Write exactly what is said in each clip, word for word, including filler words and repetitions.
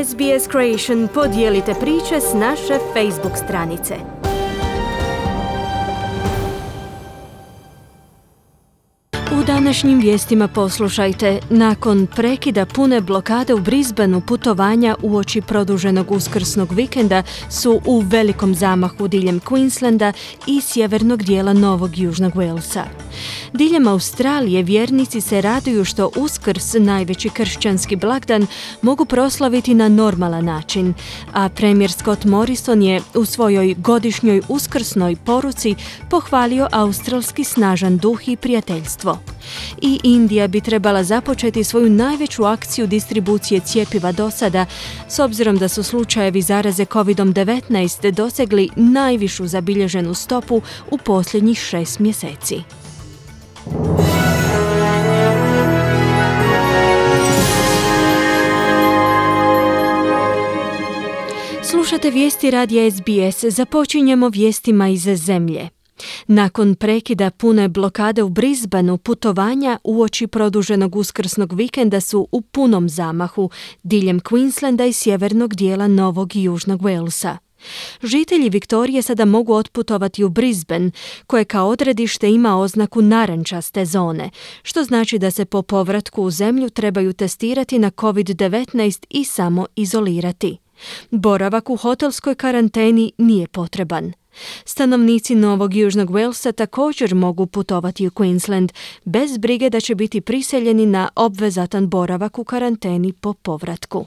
S B S Creation podijelite priče s naše Facebook stranice. U današnjim vijestima poslušajte, nakon prekida pune blokade u Brisbaneu putovanja uoči produženog uskrsnog vikenda su u velikom zamahu diljem Queenslanda i sjevernog dijela Novog Južnog Walesa. Diljem Australije vjernici se raduju što Uskrs, najveći kršćanski blagdan, mogu proslaviti na normalan način, a premijer Scott Morrison je u svojoj godišnjoj uskrsnoj poruci pohvalio australski snažan duh i prijateljstvo. I Indija bi trebala započeti svoju najveću akciju distribucije cjepiva do sada, s obzirom da su slučajevi zaraze kovid devetnaest dosegli najvišu zabilježenu stopu u posljednjih šest mjeseci. Slušate vijesti radija S B S, započinjemo vijestima iz zemlje. Nakon prekida pune blokade u Brisbaneu, putovanja uoči produženog uskrsnog vikenda su u punom zamahu diljem Queenslanda i sjevernog dijela Novog i Južnog Walesa. Žitelji Viktorije sada mogu otputovati u Brisbane, koje kao odredište ima oznaku narančaste zone, što znači da se po povratku u zemlju trebaju testirati na kovid devetnaest i samo izolirati. Boravak u hotelskoj karanteni nije potreban. Stanovnici Novog Južnog Walesa također mogu putovati u Queensland bez brige da će biti priseljeni na obvezatan boravak u karanteni po povratku.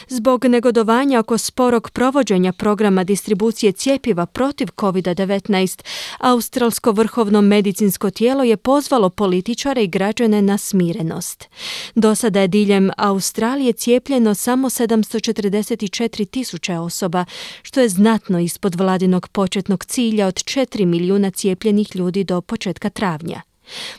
Zbog negodovanja oko sporog provođenja programa distribucije cjepiva protiv kovid devetnaest, australsko vrhovno medicinsko tijelo je pozvalo političare i građane na smirenost. Do sada je diljem Australije cijepljeno samo sedamsto četrdeset četiri tisuće osoba, što je znatno ispod vladinog početnog cilja od četiri milijuna cijepljenih ljudi do početka travnja.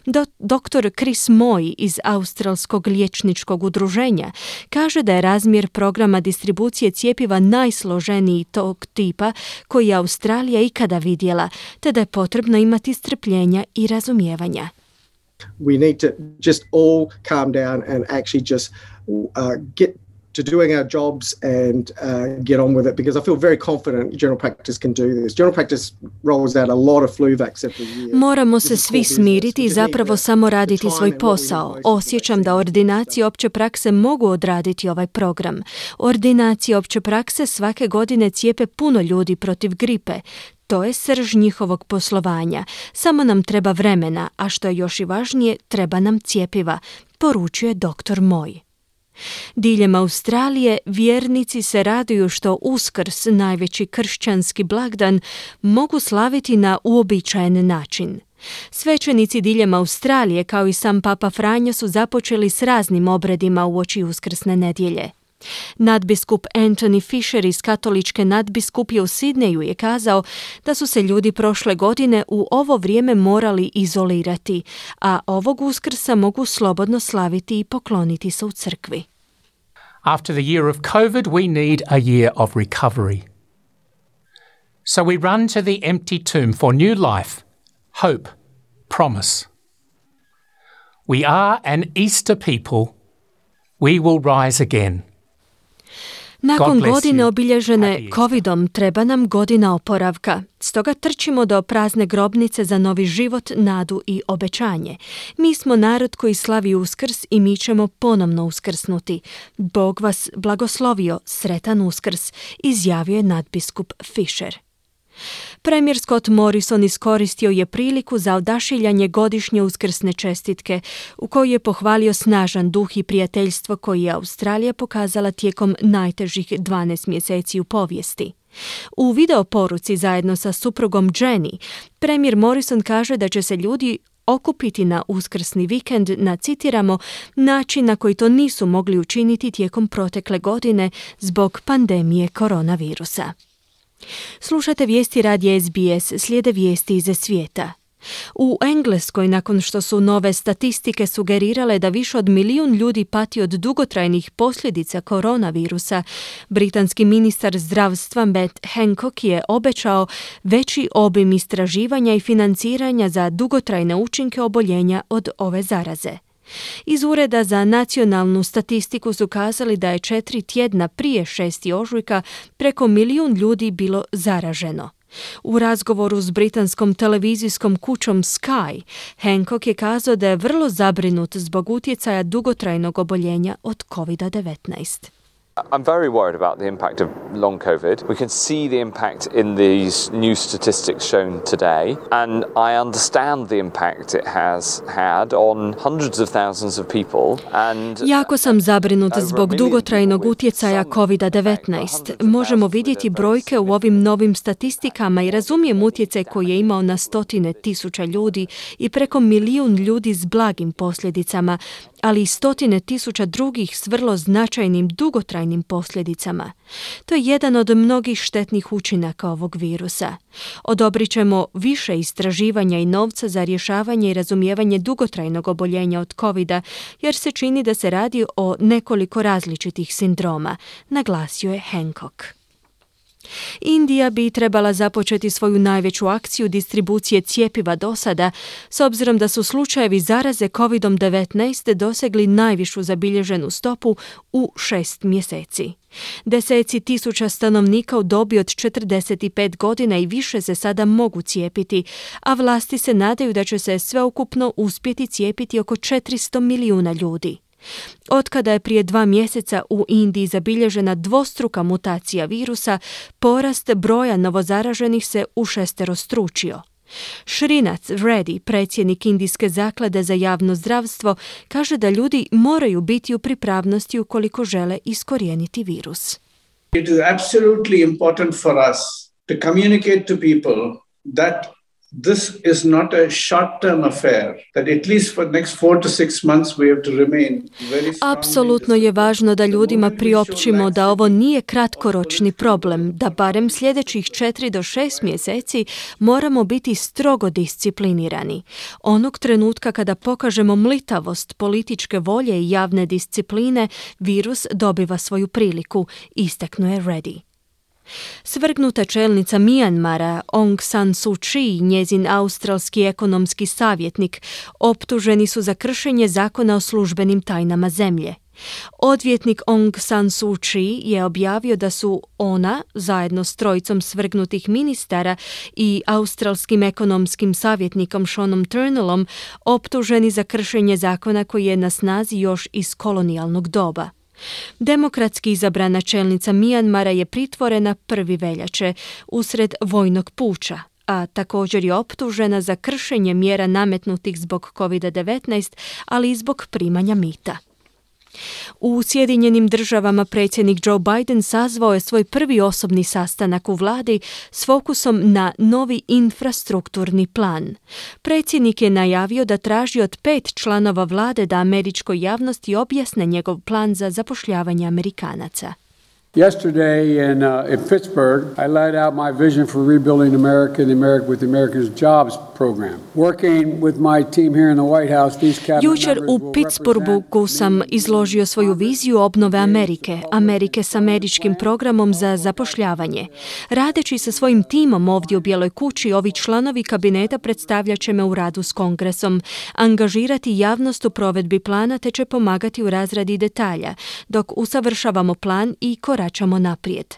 Do, doktor Chris Moy iz Australskog liječničkog udruženja kaže da je razmjer programa distribucije cjepiva najsloženiji tog tipa koji je Australija ikada vidjela, te da je potrebno imati strpljenja i razumijevanja. We need to just all calm down and actually just uh, get to doing our jobs and uh, get on with it, because I feel very confident general practice can do this. General practice rolls out a lot of flu vax every year. Moramo se svi smiriti i zapravo samo raditi svoj posao. Osjećam da ordinacije opće prakse mogu odraditi ovaj program. Ordinacije opće prakse svake godine cijepe puno ljudi protiv gripe. To je srž njihovog poslovanja. Samo nam treba vremena, a što je još i važnije, treba nam cjepiva, poručuje doktor Moy. Diljem Australije vjernici se raduju što Uskrs, najveći kršćanski blagdan, mogu slaviti na uobičajen način. Svećenici diljem Australije, kao i sam Papa Franjo, su započeli s raznim obredima uoči uskrsne nedjelje. Nadbiskup Anthony Fisher iz katoličke nadbiskupije u Sidneju je kazao da su se ljudi prošle godine u ovo vrijeme morali izolirati, a ovog Uskrsa mogu slobodno slaviti i pokloniti se u crkvi. After the year of COVID, we need a year of recovery. So we run to the empty tomb for new life, hope, promise. We are an Easter people. We will rise again. Nakon godine obilježene covidom treba nam godina oporavka. Stoga trčimo do prazne grobnice za novi život, nadu i obećanje. Mi smo narod koji slavi Uskrs i mi ćemo ponovno uskrsnuti. Bog vas blagoslovio, sretan Uskrs, izjavio je nadbiskup Fisher. Premijer Scott Morrison iskoristio je priliku za odašiljanje godišnje uskrsne čestitke, u kojoj je pohvalio snažan duh i prijateljstvo koji je Australija pokazala tijekom najtežih dvanaest mjeseci u povijesti. U video poruci zajedno sa suprugom Jenny, premijer Morrison kaže da će se ljudi okupiti na uskrsni vikend na, citiramo, način na koji to nisu mogli učiniti tijekom protekle godine zbog pandemije koronavirusa. Slušate vijesti radija S B S, slijede vijesti iz svijeta. U Engleskoj, nakon što su nove statistike sugerirale da više od milijun ljudi pati od dugotrajnih posljedica koronavirusa, britanski ministar zdravstva Matt Hancock je obećao veći obim istraživanja i financiranja za dugotrajne učinke oboljenja od ove zaraze. Iz Ureda za nacionalnu statistiku su kazali da je četiri tjedna prije šesti ožujka preko milijun ljudi bilo zaraženo. U razgovoru s britanskom televizijskom kućom Sky, Hancock je kazao da je vrlo zabrinut zbog utjecaja dugotrajnog oboljenja od kovid devetnaest. I'm very worried about the impact of long COVID. We can see the impact in these new statistics shown today, and I understand the impact it has had on hundreds of thousands of people. And jako sam zabrinut zbog dugotrajnog utjecaja kovid devetnaest. Možemo vidjeti brojke u ovim novim statistikama i razumijem utjecaj koji je imao na stotine tisuća ljudi i preko milijun ljudi s blagim posljedicama, ali i stotine tisuća drugih s vrlo značajnim dugotrajnim posljedicama. To je jedan od mnogih štetnih učinaka ovog virusa. Odobrit ćemo više istraživanja i novca za rješavanje i razumijevanje dugotrajnog oboljenja od kovida, jer se čini da se radi o nekoliko različitih sindroma, naglasio je Hancock. Indija bi trebala započeti svoju najveću akciju distribucije cjepiva do sada, s obzirom da su slučajevi zaraze kovid devetnaest dosegli najvišu zabilježenu stopu u šest mjeseci. Deseci tisuća stanovnika u dobi od četrdeset pet godina i više se sada mogu cijepiti, a vlasti se nadaju da će se sveukupno uspjeti cijepiti oko četiristo milijuna ljudi. Otkada je prije dva mjeseca u Indiji zabilježena dvostruka mutacija virusa, porast broja novozaraženih se ušesterostručio. Srinath Reddy, predsjednik Indijske zaklade za javno zdravstvo, kaže da ljudi moraju biti u pripravnosti ukoliko žele iskorijeniti virus. It is absolutely important for us to communicate to people that this is not a short-term affair, that at least for the next four to six months we have to remain very strong. Apsolutno je važno da ljudima priopćimo da ovo nije kratkoročni problem, da barem sljedećih četiri do šest mjeseci moramo biti strogo disciplinirani. Onog trenutka kada pokažemo mlitavost političke volje i javne discipline, virus dobiva svoju priliku, istaknuo je Reddy. Svrgnuta čelnica Mijanmara Aung San Suu Kyi, njezin australski ekonomski savjetnik, optuženi su za kršenje zakona o službenim tajnama zemlje. Odvjetnik Aung San Suu Kyi je objavio da su ona, zajedno s trojicom svrgnutih ministara i australskim ekonomskim savjetnikom Seanom Turnellom, optuženi za kršenje zakona koji je na snazi još iz kolonijalnog doba. Demokratski izabrana čelnica Mijanmara je pritvorena prvi veljače usred vojnog puča, a također je optužena za kršenje mjera nametnutih zbog kovid devetnaest, ali i zbog primanja mita. U Sjedinjenim državama predsjednik Joe Biden sazvao je svoj prvi osobni sastanak u vladi s fokusom na novi infrastrukturni plan. Predsjednik je najavio da traži od pet članova vlade da američkoj javnosti objasne njegov plan za zapošljavanje Amerikanaca. Yesterday in, uh, in Pittsburgh, I laid out my vision for rebuilding America and the America with the Americans Jobs program. Working with my team here in the White House, these cabinet Jučer members u will Pittsburghu sam izložio svoju viziju obnove Amerike, Amerike s američkim programom za zapošljavanje. Radeći sa svojim timom ovdje u Bijeloj kući, ovi članovi kabineta predstavljat će me u radu s Kongresom, angažirati javnost u provedbi plana te će pomagati u razradi detalja, dok usavršavamo plan i koračamo naprijed.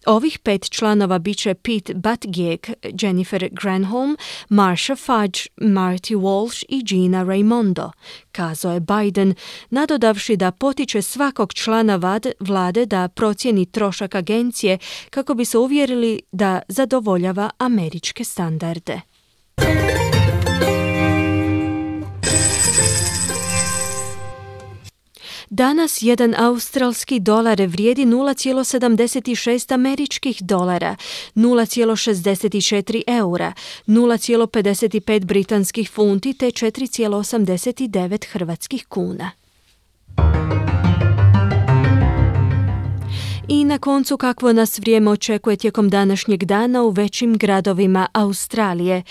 Ovih pet članova bit će Pete Buttigieg, Jennifer Granholm, Marsha Fudge, Marty Walsh i Gina Raimondo, kazao je Biden, nadodavši da potiče svakog člana vlade da procijeni trošak agencije kako bi se uvjerili da zadovoljava američke standarde. Danas jedan australski dolar vrijedi nula zarez sedamdeset šest američkih dolara, nula zarez šezdeset četiri eura, nula zarez pedeset pet britanskih funti te četiri zarez osamdeset devet hrvatskih kuna. I na koncu kakvo nas vrijeme očekuje tijekom današnjeg dana u većim gradovima Australije.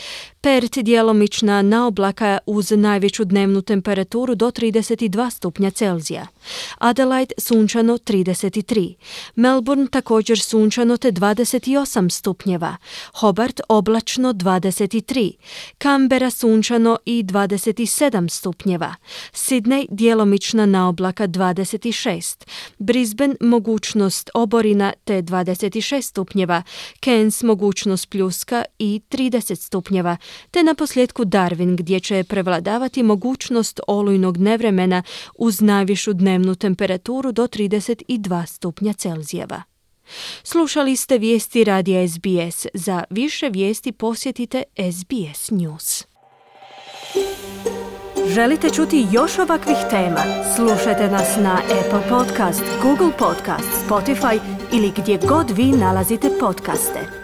Perth djelomična naoblaka uz najveću dnevnu temperaturu do trideset dva stupnja Celzija. Adelaide sunčano trideset tri. Melbourne također sunčano te dvadeset osam stupnjeva. Hobart oblačno dvadeset tri. Canberra sunčano i dvadeset sedam stupnjeva. Sydney djelomična naoblaka dvadeset šest. Brisbane mogućnost oborina te dvadeset šest stupnjeva. Cairns mogućnost pljuska i trideset stupnjeva. Te na posljedku Darwin gdje će prevladavati mogućnost olujnog nevremena uz najvišu dnevnu temperaturu do trideset dva stupnja Celzijeva. Slušali ste vijesti radija S B S. Za više vijesti posjetite S B S News. Želite čuti još ovakvih tema? Slušajte nas na Apple Podcast, Google Podcast, Spotify ili gdje god vi nalazite podcaste.